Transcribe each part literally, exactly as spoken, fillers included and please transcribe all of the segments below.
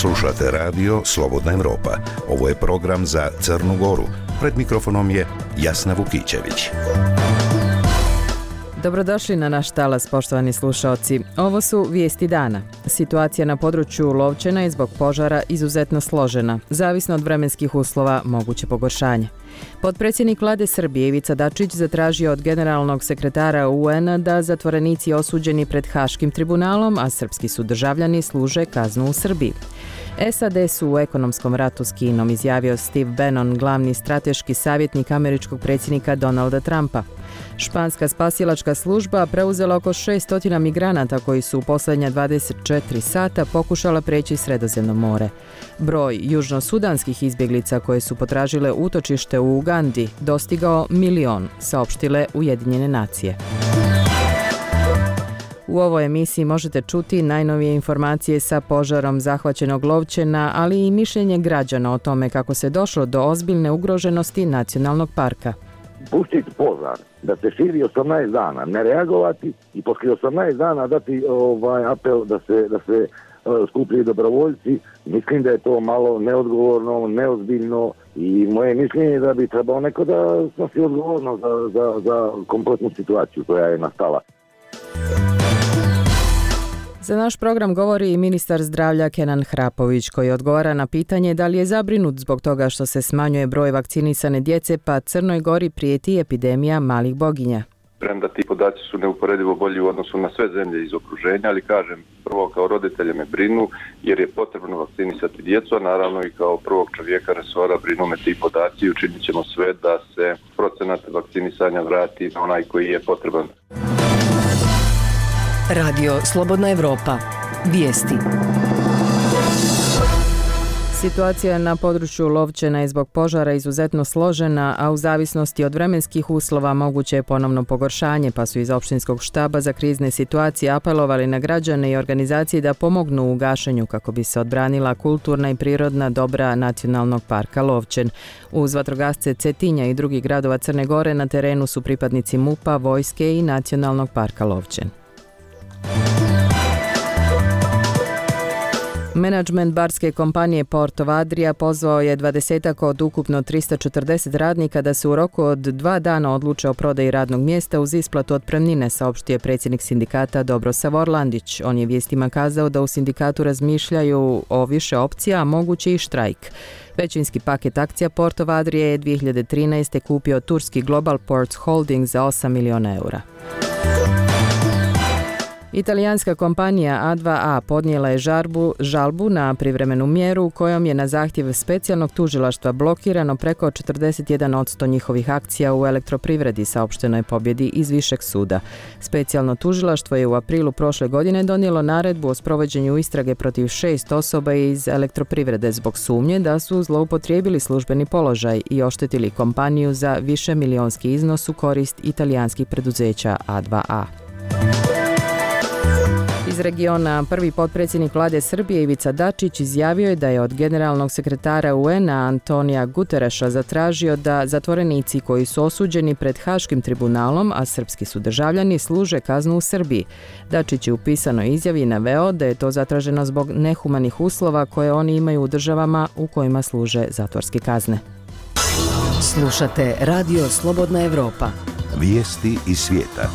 Slušate radio Slobodna Evropa. Ovo je program za Crnu Goru. Pred mikrofonom je Jasna Vukićević. Dobrodošli na naš talas, poštovani slušaoci. Ovo su vijesti dana. Situacija na području Lovćena je zbog požara izuzetno složena. Zavisno od vremenskih uslova, moguće pogoršanje. Potpredsjednik vlade Srbije Ivica Dačić zatražio od generalnog sekretara U N-a da zatvorenici osuđeni pred Haškim tribunalom, a srpski su državljani, služe kaznu u Srbiji. S A D su u ekonomskom ratu s Kinom, izjavio Steve Bannon, glavni strateški savjetnik američkog predsjednika Donalda Trumpa. Španska spasilačka služba preuzela oko šesto migranata koji su u posljednja dvadeset četiri sata pokušala preći Sredozemno more. Broj južnosudanskih izbjeglica koje su potražile utočište u Ugandi dostigao milion, saopštile Ujedinjene nacije. U ovoj emisiji možete čuti najnovije informacije sa požarom zahvaćenog Lovćena, ali i mišljenje građana o tome kako se došlo do ozbiljne ugroženosti nacionalnog parka. Pustiti požar, da se širi osamnaest dana, ne reagovati i poslije osamnaest dana dati ovaj apel da se, da se uh, skupljaju dobrovoljci, mislim da je to malo neodgovorno, neozbiljno i moje mišljenje je da bi trebao neko da snosi odgovornost za, za, za kompletnu situaciju koja je nastala. Za naš program govori i ministar zdravlja Kenan Hrapović, koji odgovara na pitanje da li je zabrinut zbog toga što se smanjuje broj vakcinisane djece, pa Crnoj Gori prijeti epidemija malih boginja. Premda ti podaci su neuporedivo bolji u odnosu na sve zemlje iz okruženja, ali kažem, prvo kao roditelje me brinu jer je potrebno vakcinisati djecu, a naravno i kao prvog čovjeka resora brinu me ti podaci i učinit ćemo sve da se procenat vakcinisanja vrati na onaj koji je potreban. Radio Slobodna Evropa. Vijesti. Situacija na području Lovćena je zbog požara izuzetno složena, a u zavisnosti od vremenskih uslova moguće je ponovno pogoršanje, pa su iz opštinskog štaba za krizne situacije apelovali na građane i organizacije da pomognu u gašenju kako bi se odbranila kulturna i prirodna dobra Nacionalnog parka Lovćen. Uz vatrogasce Cetinja i drugih gradova Crne Gore na terenu su pripadnici M U P-a, vojske i Nacionalnog parka Lovćen. Menadžment barske kompanije Porto Adria pozvao je dvadesetak od ukupno tristo četrdeset radnika da se u roku od dva dana odluče o prodaji radnog mjesta uz isplatu otpremnine, saopštio predsjednik sindikata Dobrosav Orlandić. On je vijestima kazao da u sindikatu razmišljaju o više opcija, a moguće i štrajk. Većinski paket akcija Porto Adrije je dvije hiljade trinaeste. kupio turski Global Ports Holding za osam miliona eura. Italijanska kompanija A dva A podnijela je žarbu, žalbu na privremenu mjeru kojom je na zahtjev specijalnog tužilaštva blokirano preko četrdeset jedan posto njihovih akcija u elektroprivredi, saopšteno je pobjedi iz Višeg suda. Specijalno tužilaštvo je u aprilu prošle godine donijelo naredbu o sprovođenju istrage protiv šest osoba iz elektroprivrede zbog sumnje da su zloupotrijebili službeni položaj i oštetili kompaniju za više milionski iznos u korist italijanskih preduzeća A dva A. Iz regiona prvi potpredsjednik vlade Srbije Ivica Dačić izjavio je da je od generalnog sekretara U N-a Antonija Gutereša zatražio da zatvorenici koji su osuđeni pred Haškim tribunalom, a srpski su državljani, služe kaznu u Srbiji. Dačić je u pisanoj izjavi naveo da je to zatraženo zbog nehumanih uslova koje oni imaju u državama u kojima služe zatvorske kazne. Slušate Radio Slobodna Evropa. Vijesti iz svijeta.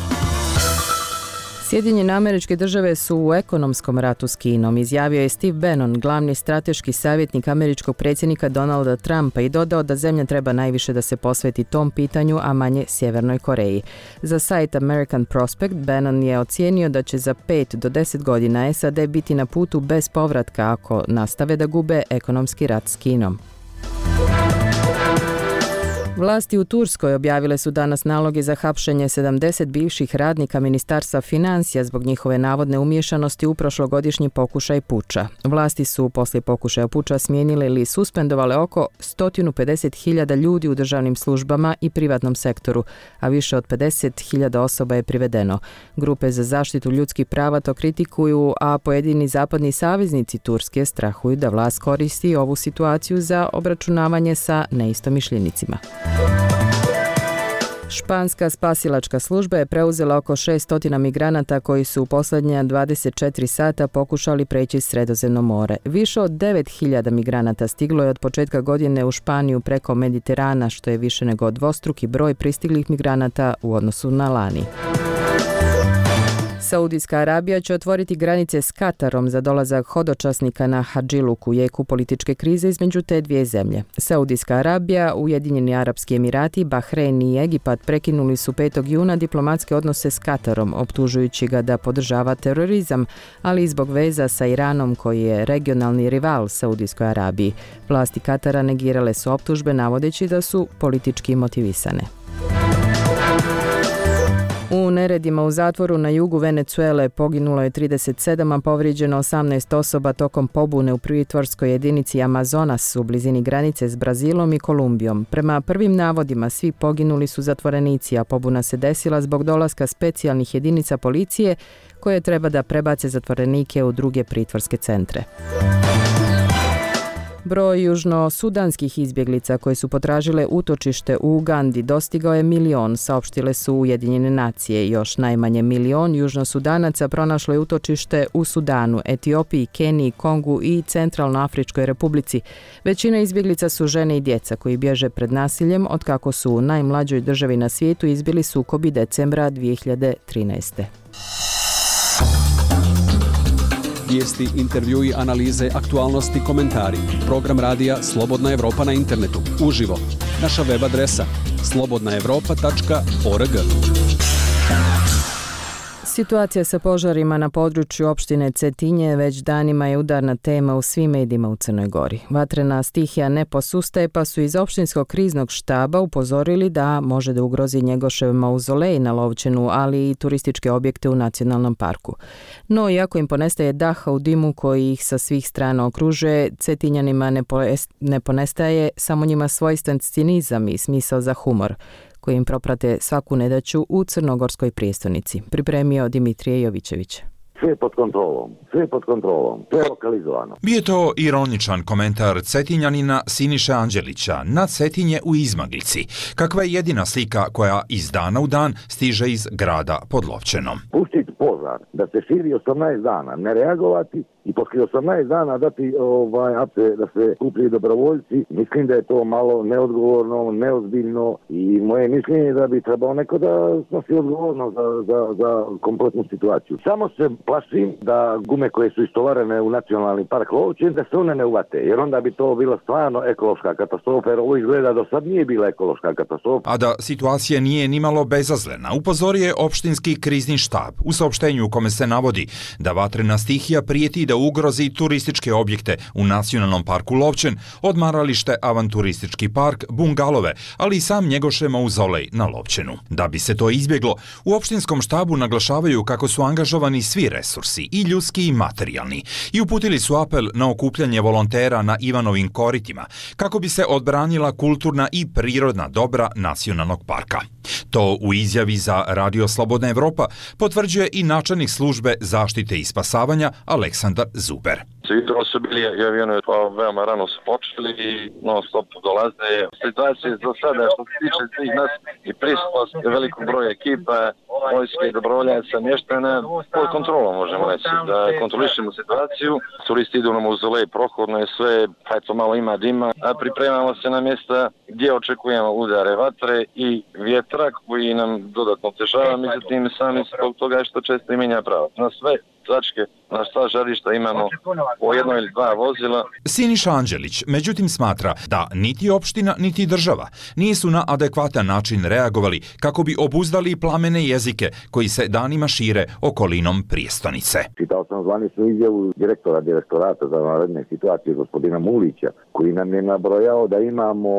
Sjedinjene Američke Države su u ekonomskom ratu s Kinom, izjavio je Steve Bannon, glavni strateški savjetnik američkog predsjednika Donalda Trumpa, i dodao da zemlja treba najviše da se posveti tom pitanju, a manje Sjevernoj Koreji. Za sajt American Prospect, Bannon je ocijenio da će za pet do deset godina S A D biti na putu bez povratka ako nastave da gube ekonomski rat s Kinom. Vlasti u Turskoj objavile su danas naloge za hapšenje sedamdeset bivših radnika Ministarstva financija zbog njihove navodne umiješanosti u prošlogodišnji pokušaj puča. Vlasti su poslije pokušaja puča smijenile ili suspendovale oko sto pedeset hiljada ljudi u državnim službama i privatnom sektoru, a više od pedeset hiljada osoba je privedeno. Grupe za zaštitu ljudskih prava to kritikuju, a pojedini zapadni saveznici Turske strahuju da vlast koristi ovu situaciju za obračunavanje sa neistomišljenicima. Španska spasilačka služba je preuzela oko šessto migranata koji su u posljednja dvadeset četiri sata pokušali preći Sredozemno more. Više od devet hiljada migranata stiglo je od početka godine u Španiju preko Mediterana, što je više nego dvostruki broj pristiglih migranata u odnosu na lani. Saudijska Arabija će otvoriti granice s Katarom za dolazak hodočasnika na Hadžiluk u jeku političke krize između te dvije zemlje. Saudijska Arabija, Ujedinjeni Arapski Emirati, Bahrein i Egipat prekinuli su petog juna diplomatske odnose s Katarom, optužujući ga da podržava terorizam, ali i zbog veza sa Iranom koji je regionalni rival Saudijskoj Arabiji. Vlasti Katara negirale su optužbe navodeći da su politički motivisane. U neredima u zatvoru na jugu Venezuele poginulo je trideset sedam, a povrijeđeno osamnaest osoba tokom pobune u pritvorskoj jedinici Amazonas u blizini granice s Brazilom i Kolumbijom. Prema prvim navodima, svi poginuli su zatvorenici, a pobuna se desila zbog dolaska specijalnih jedinica policije koje treba da prebace zatvorenike u druge pritvorske centre. Broj južno-sudanskih izbjeglica koje su potražile utočište u Ugandi dostigao je milion, saopštile su Ujedinjene nacije. Još najmanje milion južno-sudanaca pronašlo je utočište u Sudanu, Etiopiji, Keniji, Kongu i Centralnoafričkoj republici. Većina izbjeglica su žene i djeca koji bježe pred nasiljem od kako su u najmlađoj državi na svijetu izbili sukobi decembra dvije hiljade trinaeste. Vijesti, intervjui, analize, aktualnosti, komentari. Program radija Slobodna Evropa na internetu. Uživo. Naša web adresa slobodna evropa tačka org. Situacija sa požarima na području opštine Cetinje već danima je udarna tema u svim medijima u Crnoj Gori. Vatrena stihija ne posustaje, pa su iz opštinskog kriznog štaba upozorili da može da ugrozi Njegošev mauzolej na Lovćenu, ali i turističke objekte u nacionalnom parku. No, iako im ponestaje daha u dimu koji ih sa svih strana okružuje, Cetinjanima ne, ne ponestaje samo njima svojstven cinizam i smisao za humor, koji im proprate svaku nedaću u crnogorskoj prijestolnici. Pripremio Dimitrije Jovićević. Sve pod kontrolom, sve pod kontrolom, sve lokalizovano. Bio je to ironičan komentar Cetinjanina Siniše Anđelića na Cetinje u izmaglici, kakva je jedina slika koja iz dana u dan stiže iz grada pod Lovćenom. Pustiti požar, da se širi osamnaest dana, ne reagovati i poslije osamnaest dana dati ovaj, da se kupili dobrovoljci, mislim da je to malo neodgovorno, neozbiljno i moje mišljenje je da bi trebao neko da snosi odgovornost za, za, za kompletnu situaciju. Samo se plašim da gume koje su istovarene u nacionalni park Lovćen, da se one ne uvate, jer onda bi to bila stvarno ekološka katastrofa, jer ovo izgleda do sad nije bila ekološka katastrofa. A da situacija nije nimalo bezazlena, upozorio je opštinski krizni štab u saopštenju u kome se navodi da vatrena stihija prijeti da ugrozi turističke objekte u nacionalnom parku Lovćen, odmaralište, avanturistički park, bungalove, ali i sam Njegošev mauzolej na Lovćenu. Da bi se to izbjeglo, u opštinskom štabu naglašavaju kako su angažovani svi resursi, i ljudski i materijalni, i uputili su apel na okupljanje volontera na Ivanovim koritima, kako bi se odbranila kulturna i prirodna dobra nacionalnog parka. To u izjavi za Radio Slobodna Evropa potvrđuje i načelnik službe zaštite i spasavanja Aleksandar Zuber. Jutro su bili avioni, pa veoma rano su počeli i non stop dolaze. Situacija do sada što se tiče svih nas i prisutnost velikog broja ekipa, vojske i dobrovoljaca mještana pod kontrolom, možemo reći, da kontrolišemo situaciju. Turisti idu na mauzolej, prohodno je sve, pa eto malo ima dima, a pripremamo se na mjesta gdje očekujemo udare vatre i vjetra koji nam dodatno otežava, međutim sami zbog toga što često i mijenja pravo. Na sve tačke, na sva žarišta imamo po jedno ili dva vozila. Siniša Anđelić međutim smatra da niti opština niti država nisu na adekvatan način reagovali kako bi obuzdali plamene jezike koji se danima šire okolinom prijestolnice. Čitao sam zvaničnu izjavu direktora direktorata za vanredne situacije gospodina Mulića, koji nam je nabrojao da imamo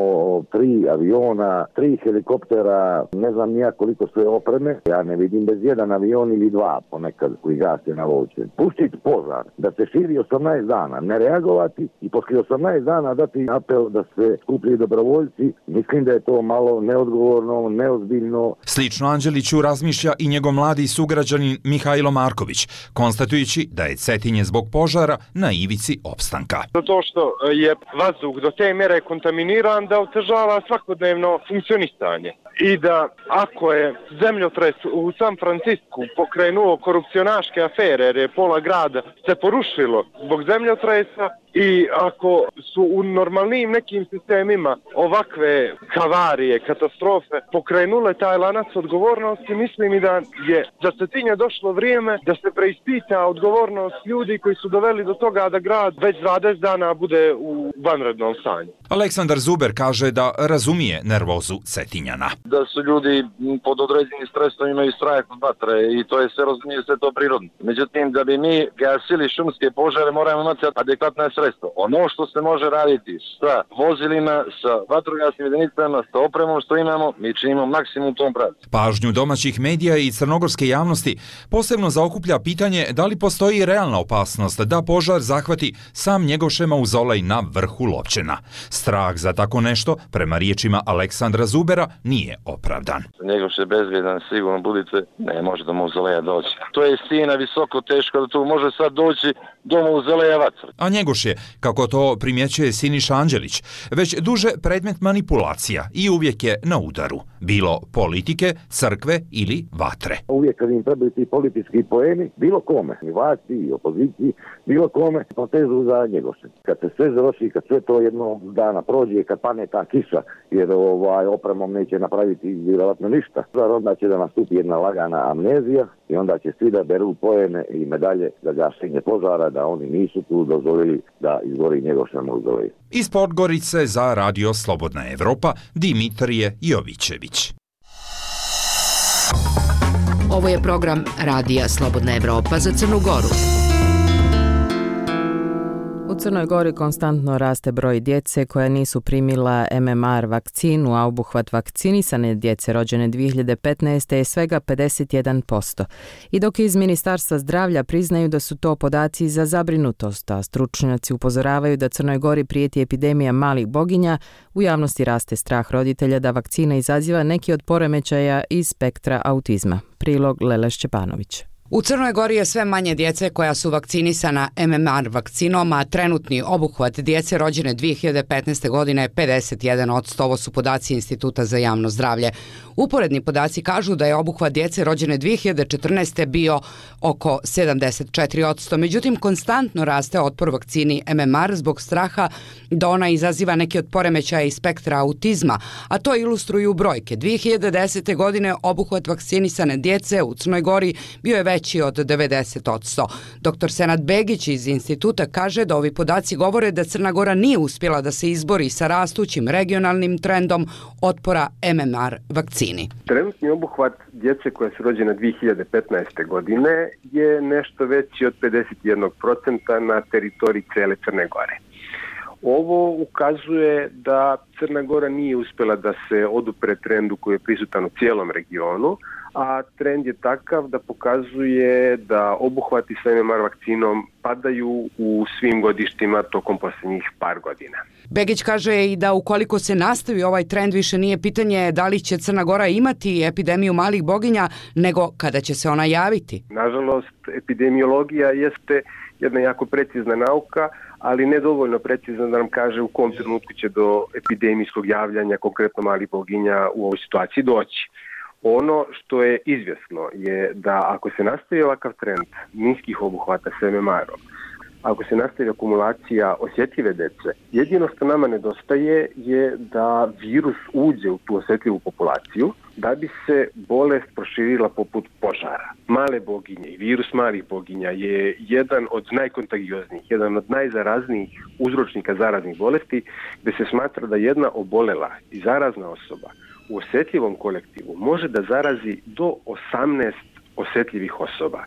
tri aviona, tri helikoptera, ne znam nija koliko sve opreme. Ja ne vidim bez jedan avion ili dva ponekad koji gase na vodu. Lovćen. Pustiti požar da se širi osamnaest dana, ne reagovati i poslije osamnaest dana dati apel da se skuplji dobrovoljci, mislim da je to malo neodgovorno, neozbiljno. Slično Anđeliću razmišlja i njegov mladi sugrađanin Mihajlo Marković, konstatujući da je Cetinje zbog požara na ivici opstanka. Zato što je vazduh do te mjere kontaminiran da otežava svakodnevno funkcionisanje. I da ako je zemljotres u San Francisku pokrenuo korupcionaške afere jer je pola grada se porušilo zbog zemljotresa i ako su u normalnim nekim sistemima ovakve havarije, katastrofe pokrenule taj lanac odgovornosti, mislim i da je za Cetinje došlo vrijeme da se preispita odgovornost ljudi koji su doveli do toga da grad već dvadeset dana bude u vanrednom stanju. Aleksandar Zuber kaže da razumije nervozu Cetinjana. Da su ljudi pod određenim stresom, imaju strah od vatre i to je sve, razumije, sve to prirodno. Međutim, da bi mi gasili šumske požare, moramo imati adekvatna sredstva. Ono što se može raditi sa vozilima, sa vatrogasnim jedinicama, sa opremom što imamo, mi činimo maksimum u tom pravcu. Pažnju domaćih medija i crnogorske javnosti posebno zaokuplja pitanje da li postoji realna opasnost da požar zahvati sam Njegoše mauzolej na vrhu Lovćena. Strah za tako nešto, prema riječima Aleksandra Zubera, nije opravdan. Njegoš je bezbjedan, sigurno budite, ne može do mauzoleja doći. To je stijena visoko, teško da tu može sad doći do mauzoleja vatra. A Njegoš je, kako to primjećuje Siniša Anđelić, već duže predmet manipulacija i uvijek je na udaru, bilo politike, crkve ili vatre. Uvijek kad im trebaju ti politički poeni, bilo kome, i vlasti, i opoziciji, bilo kome, potežu za Njegoše. Kad se sve završi, kad sve to jednog dana prođe, kad pane ta kiša, jer ovaj, opremom neće napraviti vjerojatno ništa, onda će da nastupi jedna lagana amnezija i onda će svi da beru poene i medalje za gašenje požara, da oni nisu tu dozvolili da izgori Njegoša mauzolej. Iz Podgorice za Radio Slobodna Evropa, Dimitrije Jovićević. Ovo je program Radija Slobodna Evropa za Crnu Goru. U Crnoj Gori konstantno raste broj djece koja nisu primila M M R vakcinu, a obuhvat vakcinisane djece rođene dvije hiljade petnaeste. je svega pedeset jedan posto. I dok iz Ministarstva zdravlja priznaju da su to podaci za zabrinutost, a stručnjaci upozoravaju da Crnoj Gori prijeti epidemija malih boginja, u javnosti raste strah roditelja da vakcina izaziva neki od poremećaja iz spektra autizma. Prilog Lela Šćepanović. U Crnoj Gori je sve manje djece koja su vakcinisana M M R vakcinom, a trenutni obuhvat djece rođene dvije hiljade petnaeste. godine je pedeset jedan posto. Ovo su podaci Instituta za javno zdravlje. Uporedni podaci kažu da je obuhvat djece rođene dvije hiljade četrnaeste. bio oko sedamdeset četiri posto. Međutim, konstantno raste otpor vakcini M M R zbog straha da ona izaziva neki od poremećaja iz spektra autizma, a to ilustruju brojke. dvije hiljade desete. godine obuhvat vakcinisane djece u Crnoj Gori bio je veći od devedeset posto. Doktor Senad Begić iz instituta kaže da ovi podaci govore da Crna Gora nije uspjela da se izbori sa rastućim regionalnim trendom otpora M M R vakcini. Trenutni obuhvat djece koja su rođena dvije hiljade petnaeste. godine je nešto veći od pedeset jedan posto na teritoriji cele Crne Gore. Ovo ukazuje da Crna Gora nije uspjela da se odupre trendu koji je prisutan u cijelom regionu, a trend je takav da pokazuje da obuhvati sa M M R vakcinom padaju u svim godištima tokom posljednjih par godina. Begić kaže i da ukoliko se nastavi ovaj trend, više nije pitanje da li će Crna Gora imati epidemiju malih boginja, nego kada će se ona javiti. Nažalost, epidemiologija jeste jedna jako precizna nauka, ali ne dovoljno precizno da nam kaže u kom trenutku će do epidemijskog javljanja konkretno malih boginja u ovoj situaciji doći. Ono što je izvjesno je da ako se nastavi ovakav trend niskih obuhvata s M M R-om, ako se nastavi akumulacija osjetljive dece, jedino što nama nedostaje je da virus uđe u tu osjetljivu populaciju da bi se bolest proširila poput požara. Male boginje i virus malih boginja je jedan od najkontagioznijih, jedan od najzaraznijih uzročnika zaraznih bolesti, gdje se smatra da jedna obolela i zarazna osoba u osjetljivom kolektivu može da zarazi do osamnaest osjetljivih osoba.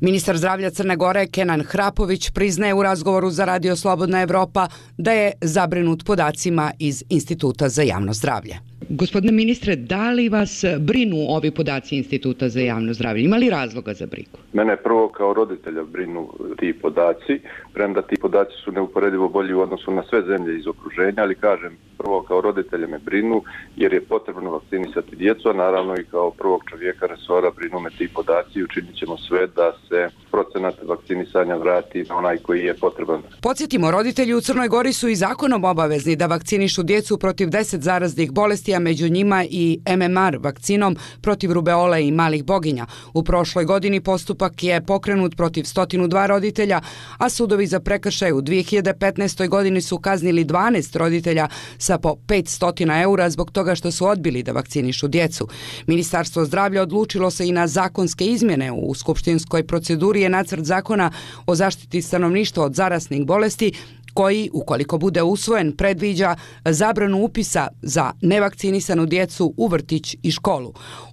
Ministar zdravlja Crne Gore Kenan Hrapović priznaje u razgovoru za Radio Slobodna Evropa da je zabrinut podacima iz Instituta za javno zdravlje. Gospodine ministre, da li vas brinu ovi podaci Instituta za javno zdravlje? Ima li razloga za brigu? Mene prvo kao roditelja brinu ti podaci, premda ti podaci su neuporedivo bolji u odnosu na sve zemlje iz okruženja, ali kažem, prvo kao roditelja me brinu jer je potrebno vakcinisati djecu, a naravno i kao prvog čovjeka resora brinu me ti podaci i učinit ćemo sve da se procenat vakcinisanja vrati na onaj koji je potreban. Podsjetimo, roditelji u Crnoj Gori su i zakonom obavezni da vakcinišu djecu protiv deset zaraznih bolesti, a među njima i M M R vakcinom protiv rubeole i malih boginja. U prošloj godini postupak je pokrenut protiv stotinu dva roditelja, a sudovi za prekršaj u dvije hiljade petnaestoj godini su kaznili dvanaest roditelja sa po petsto eura zbog toga što su odbili da vakcinišu djecu. Ministarstvo zdravlja odlučilo se i na zakonske izmjene. U skupštinskoj proceduri je nacrt zakona o zaštiti stanovništva od zaraznih bolesti koji, ukoliko bude usvojen, predviđa zabranu upisa za nevakcinisanu djecu u vrtić i školu.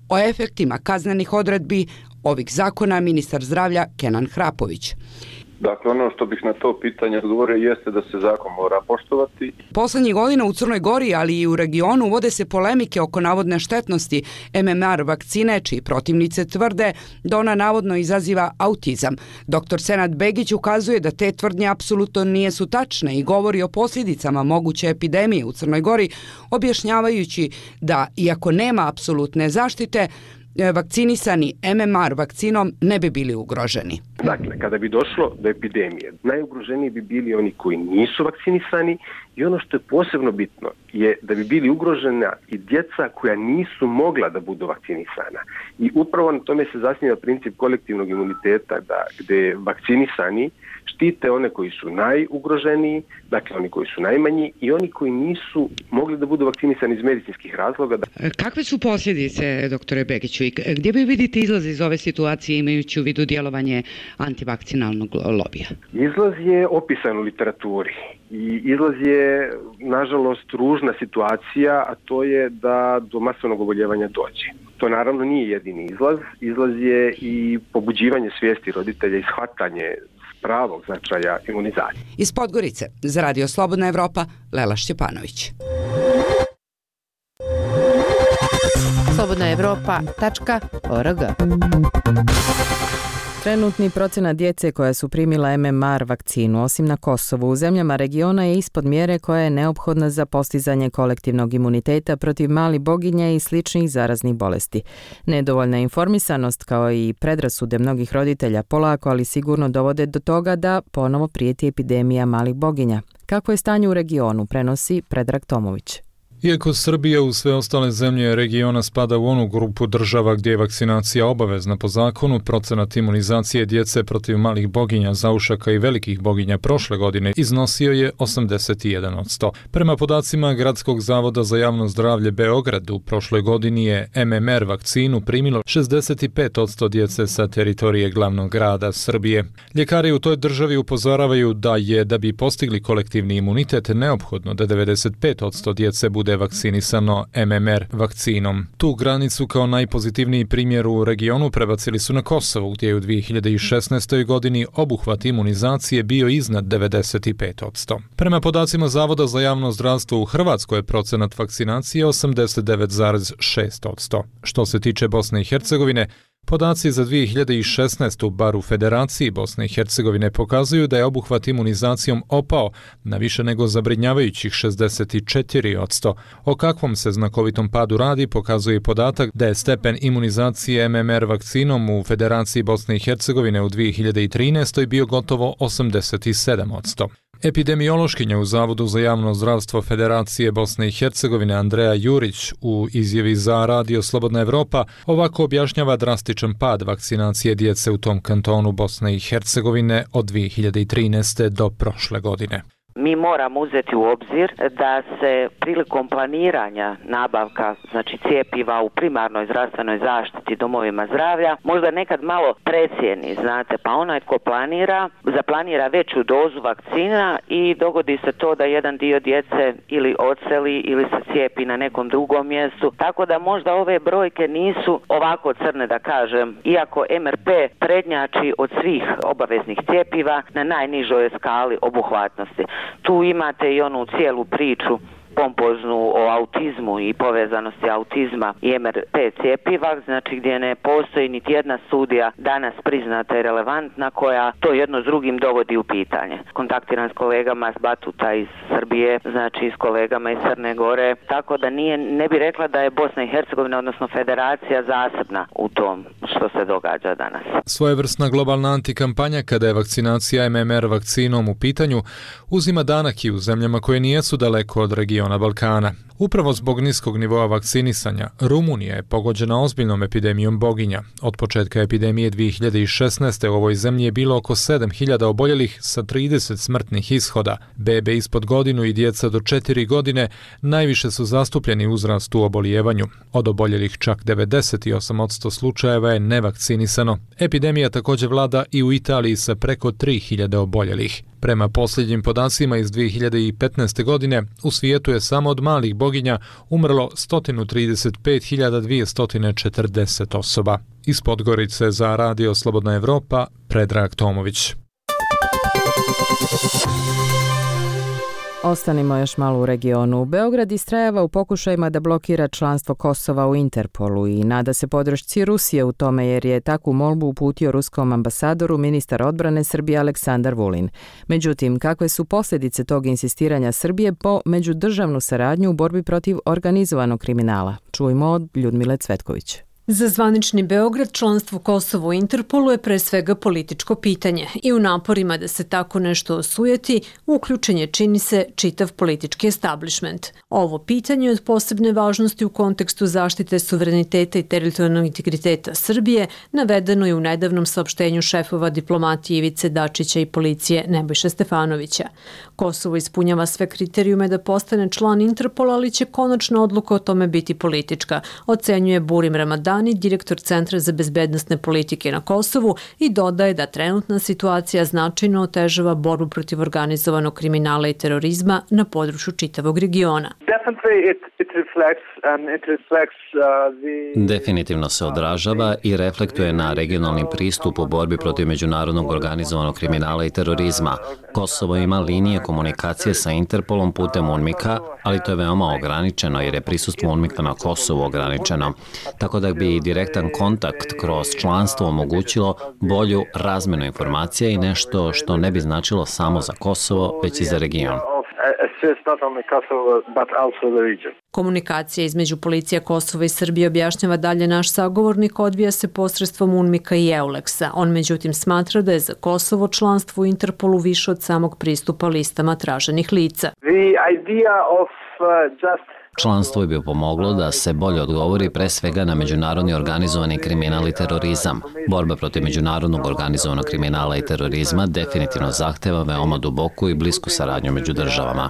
O efektima kaznenih odredbi ovih zakona ministar zdravlja Kenan Hrapović. Dakle, ono što bih na to pitanje odgovorio jeste da se zakon mora poštovati. Poslednjih godina u Crnoj Gori, ali i u regionu, vode se polemike oko navodne štetnosti M M R vakcine, čiji protivnice tvrde da ona navodno izaziva autizam. Doktor Senad Begić ukazuje da te tvrdnje apsolutno nisu tačne i govori o posljedicama moguće epidemije u Crnoj Gori, objašnjavajući da, iako nema apsolutne zaštite, vakcinisani M M R vakcinom ne bi bili ugroženi. Dakle, kada bi došlo do epidemije, najugroženiji bi bili oni koji nisu vakcinisani i ono što je posebno bitno je da bi bili ugrožena i djeca koja nisu mogla da budu vakcinisana. I upravo na tome se zasniva princip kolektivnog imuniteta, da gde vakcinisani štite one koji su najugroženiji, dakle oni koji su najmanji i oni koji nisu mogli da budu vakcinisani iz medicinskih razloga. Kakve su posljedice, doktore Begiću, i gdje vi vidite izlaz iz ove situacije imajući u vidu djelovanje antivakcinalnog lobija? Izlaz je opisan u literaturi i izlaz je, nažalost, ružna situacija, a to je da do masovnog oboljevanja dođe. To naravno nije jedini izlaz. Izlaz je i pobuđivanje svijesti roditelja i shvatanje pravog značaja imunizacije. Iz Podgorice, za Radio Slobodna Evropa, Lela Šćepanović. slobodna evropa tačka org. Trenutni procenat djece koja su primila M M R vakcinu, osim na Kosovu, u zemljama regiona je ispod mjere koja je neophodna za postizanje kolektivnog imuniteta protiv malih boginja i sličnih zaraznih bolesti. Nedovoljna informisanost kao i predrasude mnogih roditelja polako, ali sigurno dovode do toga da ponovo prijeti epidemija malih boginja. Kako je stanje u regionu, prenosi Predrag Tomović. Iako Srbija u sve ostale zemlje regiona spada u onu grupu država gdje je vakcinacija obavezna po zakonu, procenat imunizacije djece protiv malih boginja, zaušaka i velikih boginja prošle godine iznosio je osamdeset jedan posto. Prema podacima Gradskog zavoda za javno zdravlje Beograd, u prošloj godini je M M R vakcinu primilo šezdeset pet posto djece sa teritorije glavnog grada Srbije. Ljekari u toj državi upozoravaju da je, da bi postigli kolektivni imunitet, neophodno da devedeset pet posto djece bude vakcinisano M M R vakcinom. Tu granicu kao najpozitivniji primjer u regionu prebacili su na Kosovo, gdje je u dvije hiljade šesnaestoj godini obuhvat imunizacije bio iznad devedeset pet posto. Prema podacima Zavoda za javno zdravstvo u Hrvatskoj je procenat vakcinacije osamdeset devet zarez šest posto. Što se tiče Bosne i Hercegovine, podaci za dvije hiljade šesnaestu bar u Federaciji Bosne i Hercegovine pokazuju da je obuhvat imunizacijom opao na više nego zabrinjavajućih šezdeset četiri posto. O kakvom se znakovitom padu radi pokazuje podatak da je stepen imunizacije M M R vakcinom u Federaciji Bosne i Hercegovine u dvije hiljade trinaestoj bio gotovo osamdeset sedam posto. Epidemiološkinja u Zavodu za javno zdravstvo Federacije Bosne i Hercegovine Andreja Jurić u izjavi za Radio Slobodna Evropa ovako objašnjava drastičan pad vakcinacije djece u tom kantonu Bosne i Hercegovine od dvije hiljade trinaeste do prošle godine. Mi moramo uzeti u obzir da se prilikom planiranja nabavka, znači cijepiva u primarnoj zdravstvenoj zaštiti domovima zdravlja, možda nekad malo precijeni, znate, pa onaj tko planira, zaplanira veću dozu vakcina i dogodi se to da jedan dio djece ili odseli ili se cijepi na nekom drugom mjestu, tako da možda ove brojke nisu ovako crne da kažem, iako M R P prednjači od svih obaveznih cijepiva na najnižoj skali obuhvatnosti. Tu imate i onu cijelu priču pompoznu o autizmu i povezanosti autizma i em er te cjepiva, znači gdje ne postoji niti jedna studija danas priznata i relevantna koja to jedno s drugim dovodi u pitanje. Kontaktiram s kolegama s Batuta iz Srbije, znači s kolegama iz Crne Gore, tako da nije, ne bi rekla da je Bosna i Hercegovina, odnosno federacija, zasebna u tom što se događa danas. Svojevrsna globalna antikampanja kada je vakcinacija em em er vakcinom u pitanju uzima danak i u zemljama koje nijesu daleko od regiona Balkana. Upravo zbog niskog nivoa vakcinisanja, Rumunija je pogođena ozbiljnom epidemijom boginja. Od početka epidemije dvije hiljade šesnaeste. u ovoj zemlji je bilo oko sedam hiljada oboljelih sa trideset smrtnih ishoda. Bebe ispod godinu i djeca do četiri godine najviše su zastupljeni uzrast u obolijevanju. Od oboljelih čak devedeset osam posto slučajeva je nevakcinisano. Epidemija također vlada i u Italiji sa preko tri hiljade oboljelih. Prema posljednjim podacima iz dvije hiljade petnaeste. godine, u svijetu je samo od malih boginja umrlo sto trideset pet hiljada dvjesto četrdeset osoba. Iz Podgorice za Radio Slobodna Evropa, Predrag Tomović. Ostanimo još malo u regionu. Beograd istrajava u pokušajima da blokira članstvo Kosova u Interpolu i nada se podršci Rusije u tome jer je takvu molbu uputio ruskom ambasadoru ministar odbrane Srbije Aleksandar Vulin. Međutim, kakve su posljedice tog insistiranja Srbije po međudržavnu saradnju u borbi protiv organizovanog kriminala? Čujmo od Ljudmile Cvetković. Za zvanični Beograd članstvo Kosova u Interpolu je pre svega političko pitanje i u naporima da se tako nešto osujeti uključen je, čini se, čitav politički establishment. Ovo pitanje je od posebne važnosti u kontekstu zaštite suvereniteta i teritorijalnog integriteta Srbije, navedeno je u nedavnom saopštenju šefova diplomatije Ivice Dačića i policije Nebojše Stefanovića. Kosovo ispunjava sve kriterijume da postane član Interpola, ali će konačna odluka o tome biti politička, ocenjuje Burim Ramadan, direktor Centra za bezbednosne politike na Kosovu, i dodaje da trenutna situacija značajno otežava borbu protiv organizovanog kriminala i terorizma na području čitavog regiona. Definitivno se odražava i reflektuje na regionalni pristup u borbi protiv međunarodnog organizovanog kriminala i terorizma. Kosovo ima linije komunikacije sa Interpolom putem UNMIK-a, ali to je veoma ograničeno jer je prisustvo UNMIK-a na Kosovu ograničeno. Tako da bi direktan kontakt kroz članstvo omogućilo bolju razmenu informacija i nešto što ne bi značilo samo za Kosovo, već i za region. Komunikacija između policija Kosova i Srbije, objašnjava dalje naš sagovornik, odvija se posredstvom UNMIK-a i EULEX-a. On međutim smatra da je za Kosovo članstvo u Interpolu više od samog pristupa listama traženih lica. Članstvo bi pomoglo da se bolje odgovori pre svega na međunarodni organizovani kriminal i terorizam. Borba protiv međunarodnog organizovanog kriminala i terorizma definitivno zahteva veoma duboku i blisku saradnju među državama.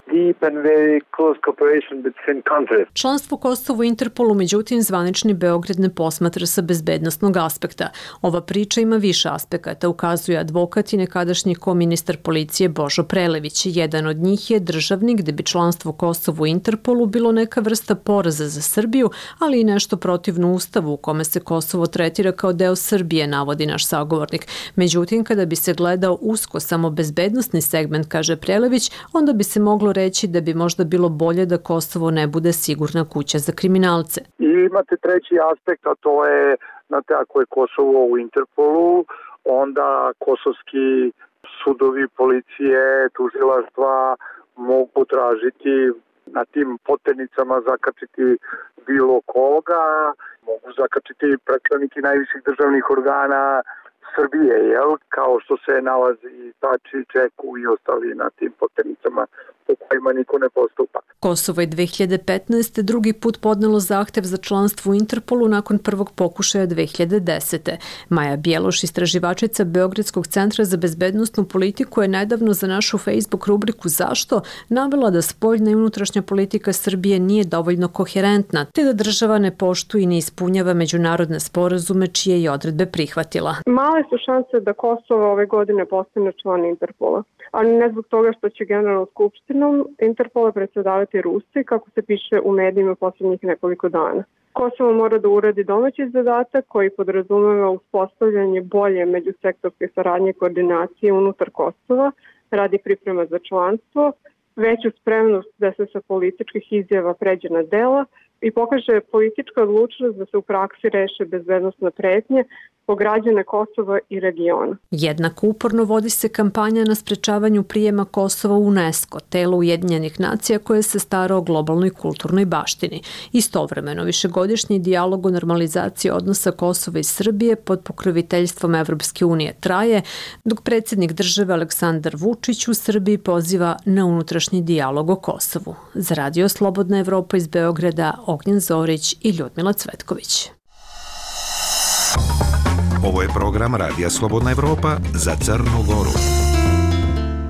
Članstvo Kosova u Interpolu, međutim, zvanični Beograd ne posmatra sa bezbednosnog aspekta. Ova priča ima više aspekata, ukazuje advokat i nekadašnji koministar policije Božo Prelević. Jedan od njih je državnik, gde bi članstvo Kosova u Interpolu bilo neka vrsta poraza za Srbiju, ali i nešto protivno ustavu u kome se Kosovo tretira kao deo Srbije, navodi naš sagovornik. Međutim, kada bi se gledao usko samo bezbednosni segment, kaže Prelević, onda bi se moglo reći da bi možda bilo bolje da Kosovo ne bude sigurna kuća za kriminalce. I imate treći aspekt, a to je, znate, ako je Kosovo u Interpolu, onda kosovski sudovi, policije, tužilaštva mogu tražiti na tim poternicama zakačiti bilo koga, mogu zakačiti predstavniki najviših državnih organa Srbije, jel? Kao što se nalazi Tači, Čeku i ostali na tim poternicama po kojima niko ne postupa. Kosovo je dve hiljade petnaeste. drugi put podnelo zahtev za članstvo u Interpolu nakon prvog pokušaja dve hiljade desete. Maja Bjeloš, istraživačica Beogradskog centra za bezbednosnu politiku, je nedavno za našu Facebook rubriku Zašto navela da spoljna i unutrašnja politika Srbije nije dovoljno koherentna, te da država ne poštuje i ne ispunjava međunarodne sporazume čije je odredbe prihvatila. Male su šanse da Kosovo ove godine postane član Interpola, ali ne zbog toga što će Generalnom skupštinom Interpola predsedavati Rusi, kako se piše u medijima posljednjih nekoliko dana. Kosovo mora da uradi domaći zadatak koji podrazumeva uspostavljanje bolje međusektorske saradnje i koordinacije unutar Kosova radi priprema za članstvo veću spremnost da se sa političkih izjava pređe na dela i pokaže politička odlučnost da se u praksi reše bezbednosne pretnje po građane Kosova i regiona. Jednako uporno vodi se kampanja na sprečavanju prijema Kosova u UNESCO, telo Ujedinjenih nacija koje se stara o globalnoj kulturnoj baštini. Istovremeno, višegodišnji dijalog o normalizaciji odnosa Kosova i Srbije pod pokroviteljstvom Evropske unije traje, dok predsjednik države Aleksandar Vučić u Srbiji poziva na unutrašnji dijalog o Kosovu. Za Radio Slobodna Evropa iz Beograda, Ognjen Zorić i Ljudmila Cvetković. Ovo je program Radija Slobodna Evropa za Crnu Goru.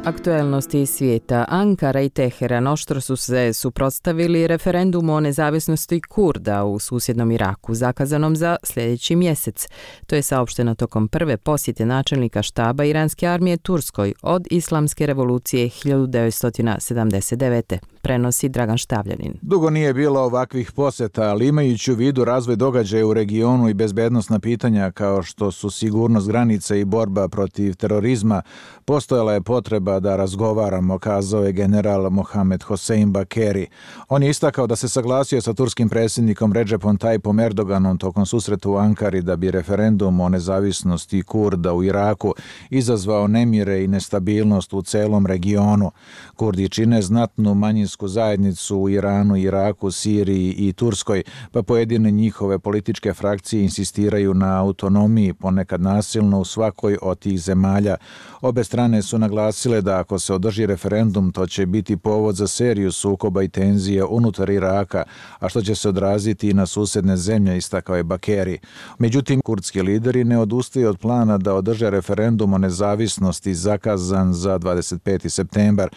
Aktuelnosti iz svijeta. Ankara i Teheran oštro su se suprotstavili referendumu o nezavisnosti Kurda u susjednom Iraku, zakazanom za sljedeći mjesec. To je saopšteno tokom prve posjete načelnika štaba iranske armije Turskoj od Islamske revolucije hiljadu devetsto sedamdeset devete. Prenosi Dragan Štavljanin. Dugo nije bilo ovakvih posjeta, ali imajući u vidu razvoj događaja u regionu i bezbednosna pitanja kao što su sigurnost granica i borba protiv terorizma, postojala je potreba da razgovaramo, kazao je general Mohamed Hossein Bakeri. On je istakao da se saglasio sa turskim predsjednikom Recepom Tayyipom Erdoganom tokom susreta u Ankari da bi referendum o nezavisnosti Kurda u Iraku izazvao nemire i nestabilnost u celom regionu. Kurdi čine znatnu manjinsku zajednicu u Iranu, Iraku, Siriji i Turskoj, pa pojedine njihove političke frakcije insistiraju na autonomiji, ponekad nasilno u svakoj od tih zemalja. Obe strane su naglasile da ako se održi referendum, to će biti povod za seriju sukoba i tenzije unutar Iraka, a što će se odraziti i na susjedne zemlje, istakao je Bakeri. Međutim, kurdski lideri ne odustaju od plana da održe referendum o nezavisnosti zakazan za dvadeset peti septembar.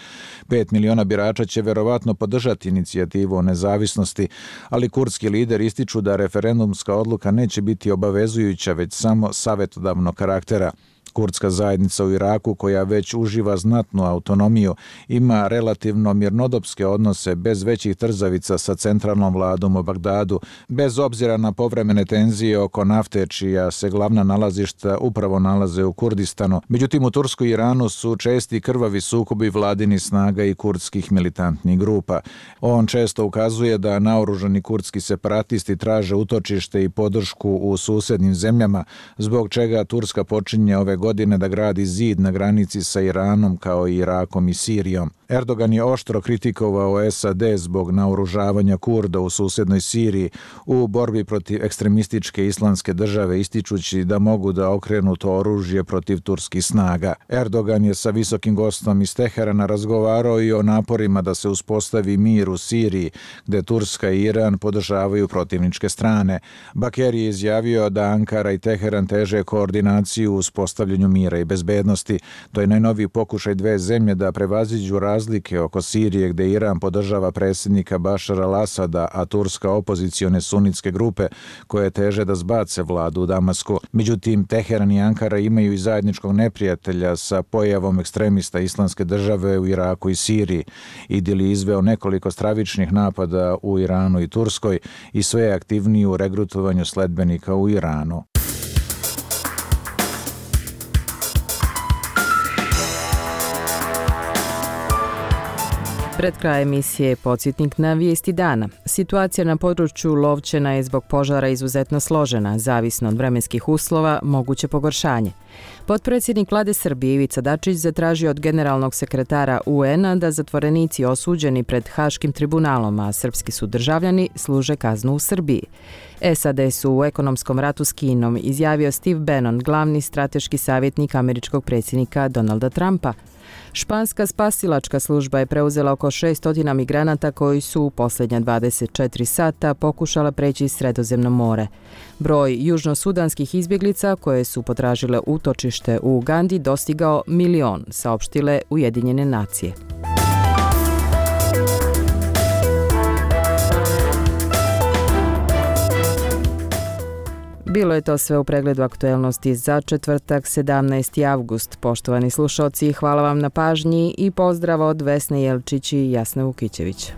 Pet miliona birača će verovatno podržati inicijativu o nezavisnosti, ali kurdski lideri ističu da referendumska odluka neće biti obavezujuća, već samo savjetodavnog karaktera. Kurdska zajednica u Iraku, koja već uživa znatnu autonomiju, ima relativno mirnodopske odnose bez većih trzavica sa centralnom vladom u Bagdadu, bez obzira na povremene tenzije oko nafte, čija se glavna nalazišta upravo nalaze u Kurdistanu. Međutim, u Turskoj i Iranu su česti krvavi sukobi vladini snaga i kurdskih militantnih grupa. On često ukazuje da naoružani kurdski separatisti traže utočište i podršku u susednim zemljama, zbog čega Turska počinje ove godine da gradi zid na granici sa Iranom kao i Irakom i Sirijom. Erdogan je oštro kritikovao S A D zbog naoružavanja Kurda u susjednoj Siriji u borbi protiv ekstremističke islamske države, ističući da mogu da okrenu to oružje protiv turskih snaga. Erdogan je sa visokim gostom iz Teherana razgovarao i o naporima da se uspostavi mir u Siriji, gde Turska i Iran podržavaju protivničke strane. Bakeri je izjavio da Ankara i Teheran teže koordinaciju u uspostavljanju mira i bezbednosti. To je najnoviji pokušaj dve zemlje da prevaziđu razlike oko Sirije, gde Iran podržava predsjednika Bašara al-Asada, a Turska opozicione sunitske grupe koje teže da zbace vladu u Damasku. Međutim, Teheran i Ankara imaju i zajedničkog neprijatelja sa pojavom ekstremista islamske države u Iraku i Siriji. Idil je izveo nekoliko stravičnih napada u Iranu i Turskoj i sve je aktivniji u regrutovanju sledbenika u Iranu. Pred kraj emisije podsjetnik na vijesti dana. Situacija na području Lovćena je zbog požara izuzetno složena, zavisno od vremenskih uslova, moguće pogoršanje. Potpredsjednik vlade Srbije Ivica Dačić zatražio od generalnog sekretara U N-a da zatvorenici osuđeni pred Haškim tribunalom, a srpski su državljani, služe kaznu u Srbiji. S A D su u ekonomskom ratu s Kinom, izjavio Steve Bannon, glavni strateški savjetnik američkog predsjednika Donalda Trumpa. Španska spasilačka služba je preuzela oko šesto migranata koji su u posljednja dvadeset četiri sata pokušala preći Sredozemno more. Broj južnosudanskih izbjeglica koje su potražile utočište u Ugandi dostigao milion, saopštile Ujedinjene nacije. Bilo je to sve u pregledu aktuelnosti za četvrtak sedamnaesti avgust. Poštovani slušalci, hvala vam na pažnji i pozdrav od Vesne Jelčić i Jasne Vukićević.